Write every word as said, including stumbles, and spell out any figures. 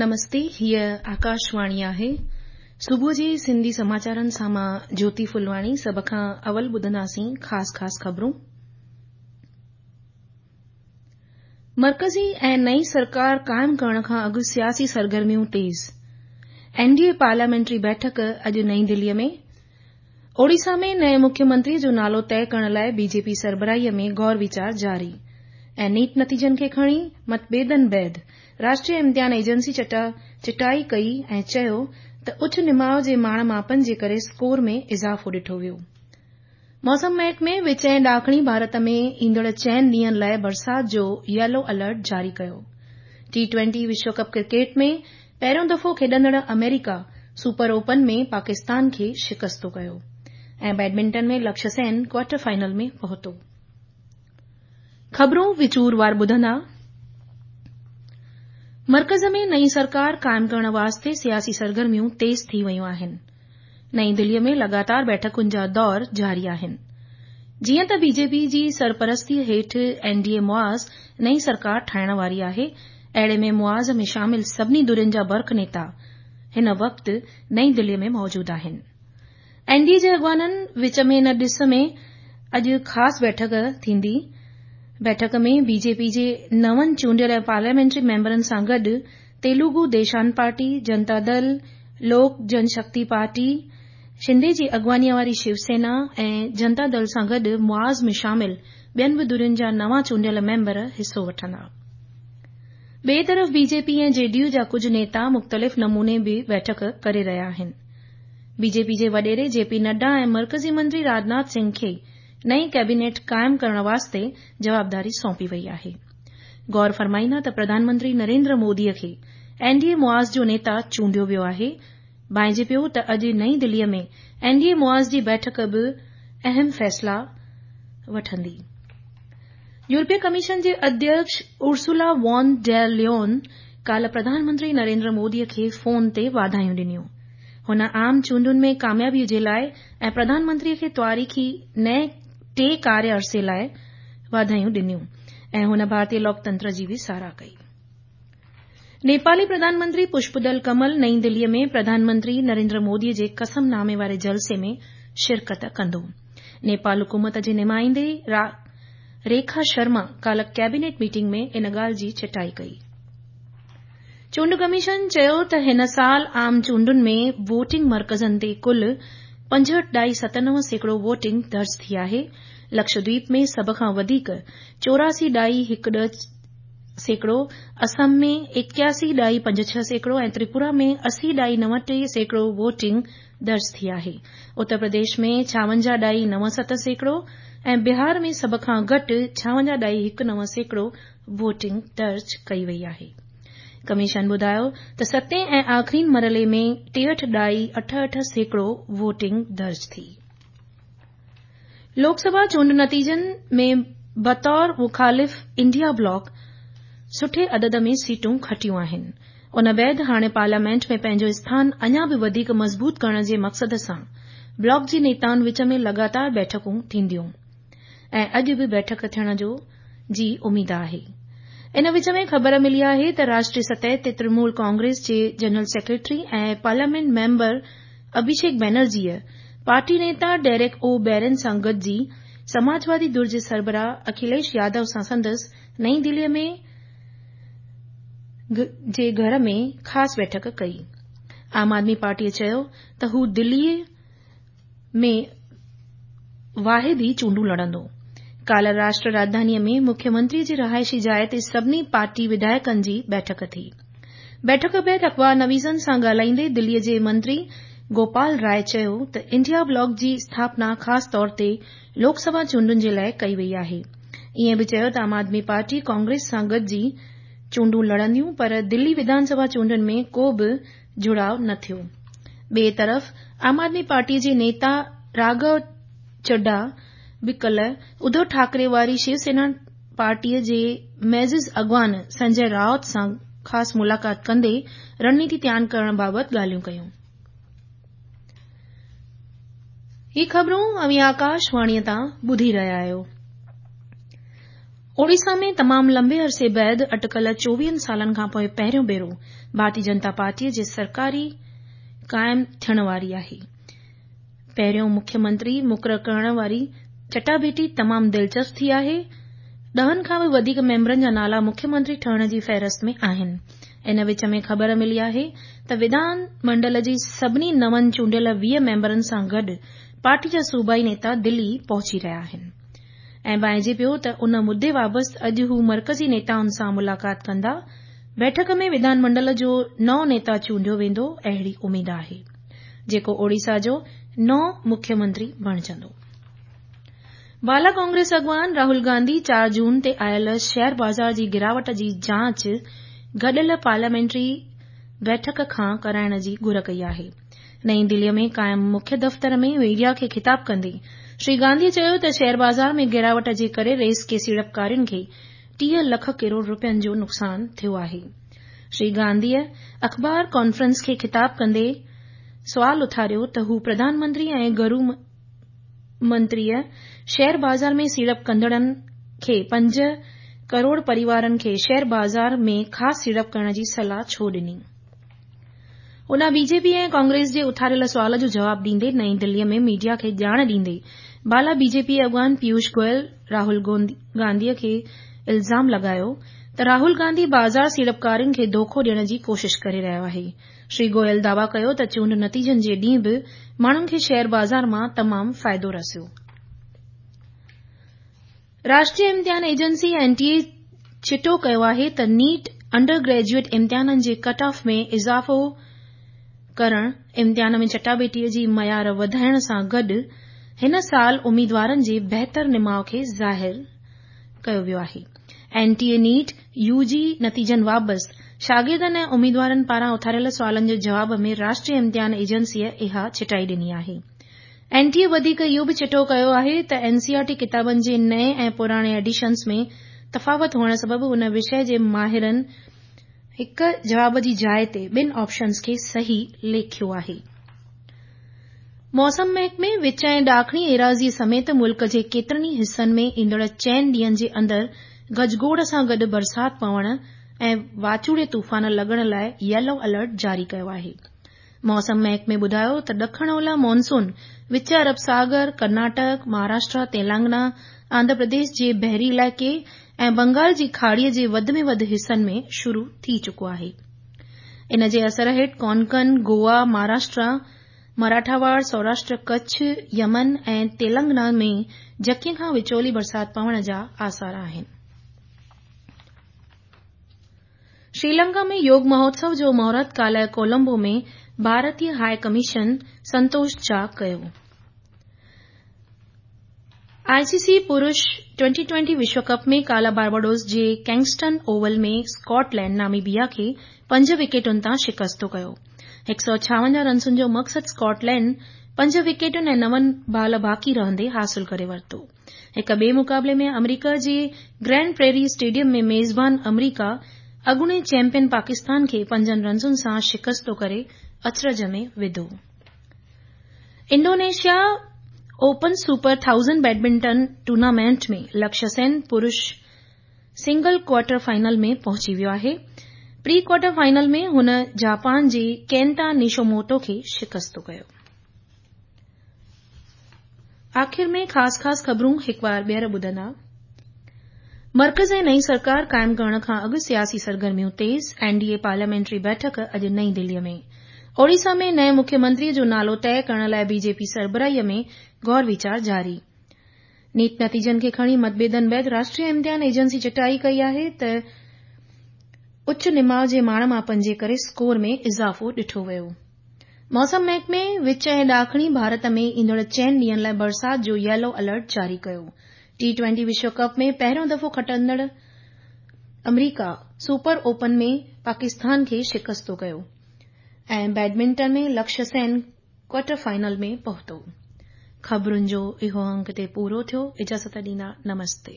نمستي، هيء آڪاشواڻي آهي. صبح جي سنڌي سماچارن سان مان جيوتي ڦلواڻي. سڀ کان اول ٻڌنداسين خاص خاص خبرون. مرڪزي ۽ نئين سرڪار قائم ڪرڻ کان اڳ سياسي سرگرميون تيز. اين ڊي اي پارليامينٽري بيٺڪ اڄ نئين دليء ۾. اوڙيسا ۾ نئين مکيه منتري جو نالو طئي ڪرڻ لاء بي جي پي سربراهيء ۾ غور ويچار جاري. ۽ نيٽ نتيجن کي کڻي متڀيدن بعد راشٽريه امتحان ايجنسي چٽائي ڪئي ۽ چيو ته اچ نماء جي ماڻ ماپن جي ڪري اسڪور ۾ اضافو ڏٺو ويو. موسم محڪمي وچ ۽ ڏاکڻي ڀارت ۾ ايندڙ چئن ڏينهن لاء برسات جو ييلو الرٽ جاري ڪيو. ٽي ٽوئنٽي وشو ڪپ ڪرڪيٽ ۾ پهريون دفعو کيڏندڙ آمريڪا سپر اوپن ۾ پاڪستان کي شڪستو ڪيو. ۽ بيڊمنٽن ۾ لڪشيه سين ڪوارٽر فائنل ۾ پهتو. خبرون وچور وار ٻڌندا. مرڪز ۾ نئين سرڪار قائم ڪرڻ واسطي سياسي سرگرميون تيز ٿي ويون آهن. نئين دليء ۾ لڳاتار بيٺڪن جا دور جاري آهن. جيئن ته بي جي پي جي سرپرستيء هيٺ اين ڊي اي محاذ نئين سرڪار ٺاهڻ واري آهي، اهڙي ۾ محاذ ۾ شامل سڀني ڌرين جا برک نيتا هن وقت نئين دليء ۾ موجود آهن. اين ڊي اي جي اڳواڻن وچ ۾ ان ڏس ۾ اڄ خاص بيٺڪ ٿيندي. بيٺڪ ۾ بي جي پي جي نون چونڊيل پارليامينٽري ميمبرن سان گڏ تيلگو ديشم پارٽي، جنتا دل، لوڪ جن شڪتي پارٽي، شندي جي اڳواڻيء واري شيو سينا ۽ جنتا دل سان گڏ محاذ ۾ شامل ٻين به ڌرين جا نوان چونڊيل ميمبر حصو وٺندا. ٻئي طرف بي جي پي ۽ جي ڊي يو جا ڪجهه نيتا مختلف نموني به بيٺڪ ڪري رهيا آهن. بي جي پي جي وڏيري جي پي نڊا ۽ مرڪزي منتري راجناٿ سنگهه کي نئين ڪيبينيٽ قائم ڪرڻ واسطي جوابداري سونپي وئي آهي. غور فرمائيندا ته پرڌان منتري نريندر موديء کي اين ڊي اي محاذ جو نيتا چونڊيو ويو آهي. ڀانئجي پيو ته اڄ نئين دليء ۾ اين ڊي اي محاذ جي بيٺڪ به اهم فيصلا وٺندي. يورپي ڪميشن جي اڌيڪش ارسولا وان ڊير ليون ڪالهه پرڌان منتري نريندر موديء کي فون تي واڌايون ڏنيون. هن عام چونڊن ۾ ڪاميابيء جي لاء ۽ پرڌان منتريء کي تواريخي نئين ٽي ڪاريه عرصي لاء واڌايون ڏنيون ۽ هن ڀارتيه لوڪتنتر جي به ساراهه ڪئي. نيپالي پرڌان منتري پشپدل ڪمل نئين دليء ۾ پرڌان منتري نريندر موديء جي قسم نامي واري جلسي ۾ شرڪت ڪندو. نيپال حڪومت جي نمائندي ريکا شرما ڪالهه ڪيبينيٽ ميٽنگ ۾ ان ڳالهه جي چٽائي ڪئي. چونڊ ڪميشن چيو ته هن سال عام چونڊن ۾ ووٽنگ مرڪزن تي ڪل پنجهٺ ڏائي ست نو سيڪڙو ووٽنگ درج ٿي آهي. لڪشدويپ ۾ سڀ کان وڌيڪ چوراسي ڏائي هڪ ڏهه سيڪڙو، اسم ۾ ايڪياسي ڏائي پنج ڇهه سيڪڙو ۽ تريپورا ۾ اسي ڏائي نو ٽي سيڪڙو ووٽنگ درج ٿي آهي. اتر پرديش ۾ ڇاونجاهه ڏائي نو ست سيڪڙو ۽ بهار ۾ سڀ کان گهٽ ڇاونجاهه ڏائي هڪ نو سيڪڙو ووٽنگ درج ڪئي وئي آهي. ڪميشن ٻڌايو ته ستين ۽ آخرين مرحلي ۾ ٽيهٺ ڏائي اٺ اٺ سيڪڙو ووٽنگ درج ٿي. لوڪ سڀا چونڊ نتيجن ۾ بطور مخالف انڊيا بلاڪ سٺي عدد ۾ سيٽون کٽيون آهن. ان بعد هاڻي پارليامينٽ ۾ پنهنجو اسٿان اڃا به وڌيڪ مضبوط ڪرڻ جي مقصد سان بلاڪ جي نيتائن وچ ۾ لڳاتار بيٺڪون ٿينديون ۽ اڄ به بيٺڪ ٿيڻ جي اميد آهي. ان وچ ۾ خبر ملي آهي ته راشٽريه سطح تي ترڻمول ڪانگريس جي general secretary ۽ parliament member Abhishek بينرجيء پارٽي نيتا ڊيريڪ او بيرن سان گڏجي سماجوادي ڌر جي سربراهه اکليش يادو سان سندس نئين دليء ۾ جي گهر ۾ خاص بيٺڪ ڪئي. عام آدمي پارٽيء چيو ته هو دليء ۾ واحد ئي چونڊون لڙندو. ڪالهه راشٽر راڄڌانيء ۾ مکيه منتريء جي رهائشي جاء تي سڀني پارٽي وڌايڪن جي بيٺڪ ٿي. بيٺڪ بعد اخبار نويسن سان ڳالهائيندي دليء جي منتري گوپال راء چيو ته انڊيا بلاڪ جي اسٿاپنا خاص طور تي لوڪ سڀا چونڊن جي لاء ڪئي وئي آهي. ائين به چيو ته عام آدمي پارٽي ڪانگريس سان گڏجي چونڊون لڙنديون پر دلي وڌان سڀا چونڊن ۾ ڪو به جڙاءُ نه ٿيو. ٻئي طرف عام آدمي پارٽيء جي نيتا راگهو چڊها به ڪالهه اڌو ٺاڪري واري شيو سينا پارٽيء جي معزز اڳواڻ سنجي رائوت سان خاص ملاقات ڪندي رڻنيتي تيار ڪرڻ بابت ڳالهيون ڪيون. هي خبرون اوهين آڪاشواڻيء تان ٻڌي رهيا آهيو. اوڙيسا ۾ تمام لمبي عرصي بعد اٽڪل چوويهن سالن کان پوءِ پهريون ڀيرو ڀارتيه جنتا پارٽيءَ جي سرڪاري قائم ٿيڻ واري آهي. پهريون مکيه منتري مقرر ڪرڻ واري چٽاڀيٽي تمام دلچسپ ٿي آهي. ڏهن کان به وڌيڪ ميمبرن جا نالا مکيه منتري ٺهڻ جي فهرست ۾ آهن. ان وچ ۾ خبر ملي آهي ته وڌان منڊل جي سڀني نون چونڊيل ويهه ميمبرن سان گڏ پارٽي جا صوبائي نيتا دلي پهچي رهيا آهن ۽ ڀانئجي پيو ته ان مدي وابسته اڄ هو مرڪزي نيتائن سان ملاقات ڪندا. بيٺڪ ۾ وڌان منڊل جو نئون نيتا چونڊيو ويندو اهڙي اميد آهي، جيڪو اوڙيسا جو نئون مکيه منتري بڻجندو. بالا ڪانگريس اڳواڻ راهول گانڌي چار جون تي آيل شيئر بازار جي گراوٽ جي جاچ گڏيل پارليامينٽري بيٺڪ کان ڪرائڻ جي گهر ڪئي آهي. نئين دليء ۾ قائم مکيه دفتر ۾ ميڊيا کي خطاب ڪندي شري گانڌي چيو ته شيئر بازار ۾ گراوٽ جي ڪري ريس ڪي سيڙپڪارين کي ٽيهه لک ڪروڙ رپين جو نقصان ٿيو آهي. شري گانڌيء اخبار ڪانفرنس کي خطاب ڪندي سوال اٿاريو ته هو پرڌان منتري ۽ گهرو منتريء شيئر بازار ۾ سيڙپ ڪندڙن کي پنج ڪروڙ پريوارن کي شيئر بازار ۾ خاص سيڙپ ڪرڻ جي صلاح ڇو ڏني. ان بي جي پي ۽ ڪانگريس جي اٿاريل سوال جو جواب ڏيندي نئين دليء ۾ ميڊيا کي ڄاڻ ڏيندي بالا بي جي پي اڳواڻ پيوش گويل راهول گانڌيء کي الزام لڳايو ته راهول گانڌي بازار سيڙپڪارين کي دوکو ڏيڻ جي ڪوشش ڪري رهيو آهي. شري گويل دعويٰ ڪيو ته چونڊ نتيجن جي ڏينهن به ماڻهن کي شيئر بازار مان تمام فائدو رسيو. راشٽريه امتحان ايجنسي اين ٽي اي چٽو ڪيو آهي ته نيٽ انڊر گريجوئيٽ امتحانن جي ڪٽ آف ۾ اضافو ڪرڻ، امتحان ۾ چٽاڀيٽيء جي معيار وڌائڻ سان گڏ هن سال اميدوارن جي بهتر نماءُ کي ظاهر ڪيو ويو آهي. N T A NEET U G نتيجن وابسته شاگردن ۽ اميدوارن پاران اٿاريل سوالن جي جواب ۾ راشٽريه امتحان ايجنسيء اها چٽائي ڏني آهي. اين ٽي اي وڌيڪ اهو به چٽو ڪيو آهي ته اين سي آر ٽي ڪتابن جي نئين ۽ پراڻي ايڊيشنز ۾ تفاوت هئڻ سبب ان وشيه جي ماهرن هڪ جواب جي جاءِ تي ٻن آپشنز کي صحيح ليکيو آهي. موسم محڪمي وچ ۽ ڏاکڻي ايراضيء سميت ملڪ جي ڪيترن ئي حصن ۾ ايندڙ چئن ڏينهن جي اندر گجگوڙ سان گڏ برسات پوڻ ۽ واچوڙي طوفان لڳڻ لاءِ ييلو الرٽ جاري ڪيو آهي. موسم محڪمي ٻڌايو ته ڏکڻ اولهه مانسون وچ عرب ساگر، ڪرناٽڪ، مهاراشٽر، تيلنگانا، آنڌرا پرديش جي بحري علائقي ۽ بنگال جي کاڙيء جي وڌ ۾ وڌ حصن ۾ شروع ٿي چڪو آهي. ان جي اثر هيٺ ڪونڪن، گوا، مهاراشٽر، مراٺاواڙ، سوراشٽر، ڪڇ، يمن ۽ تيلنگانا ۾ جهڪي کان وچولي برسات پوڻ جا آثار آهن. شريلنڪا ۾ يوگ مهوتسو جو مهورت ڪالهه ڪولمبو ۾ ڀارتيه هاءِ ڪميشن سنتوش جها ڪيو. آء سي سي پرش ٽوئنٽي ٽوئنٽي وشو ڪپ ۾ ڪالهه بارباڊوس جي ڪنگسٽن اوول ۾ اسڪاٽلينڊ ناميبيا کي پنج وڪيٽن تان شڪست ڪيو. هڪ سؤ ڇاونجاهه رنسن جو مقصد اسڪاٽلينڊ پنج وڪيٽن ۽ نون بال باقي رهندي حاصل ڪري ورتو. هڪ ٻئي مقابلي ۾ آمريڪا جي گرينڊ پريري اسٽيڊيم ۾ ميزبان آمريڪا اڳوڻي چيمپيئن پاڪستان کي پنجن رنسن سان شڪست ڪري اچرج ۾ وڌو. Indonesia open super thousand badminton tournament ۾ Lakshya Sen پرش سنگل ڪوارٽر فائنل ۾ پهچي ويو آهي. پري ڪوارٽر فائنل ۾ هن جاپان جي ڪينتا نشوموتو کي شڪست ڪيو. آخر ۾ خاص خاص خبرون هڪ بار ٻيهر ٻڌندا. مرڪز ۽ نئين سرڪار قائم ڪرڻ کان اڳ سياسي سرگرميون تيز، اين ڊي اي پارليامينٽري بيٺڪ اڄ نئين دليء ۾. اوڙيسا ۾ نئين مکيه منتريء جو نالو طئي ڪرڻ لاءِ بي جي پي سربراهيء ۾ غور ويچار جاري. نيٽ نتيجن کي کڻي متڀيدن بعد راشٽريه امتحان ايجنسي چٽائي ڪئي آهي ته اچ نماءُ جي ماڻ ماپن جي ڪري اسڪور ۾ اضافو ڏٺو ويو. موسم محڪمي وچ ۽ ڏاکڻي ڀارت ۾ ايندڙ چئن ڏينهن لاءِ برسات جو ييلو الرٽ جاري ڪيو. ٽي ٽوئنٽي وشو ڪپ ۾ پهريون دفعو کٽندڙ آمريڪا سپر اوپن ۾ پاڪستان کي شڪست ڪيو ۽ badminton ۾ Lakshya Sen quarter final ۾ پهتو. خبرن جو اهو انڪ هتي پورو ٿيو. اجازت ڏيندا. نمستي.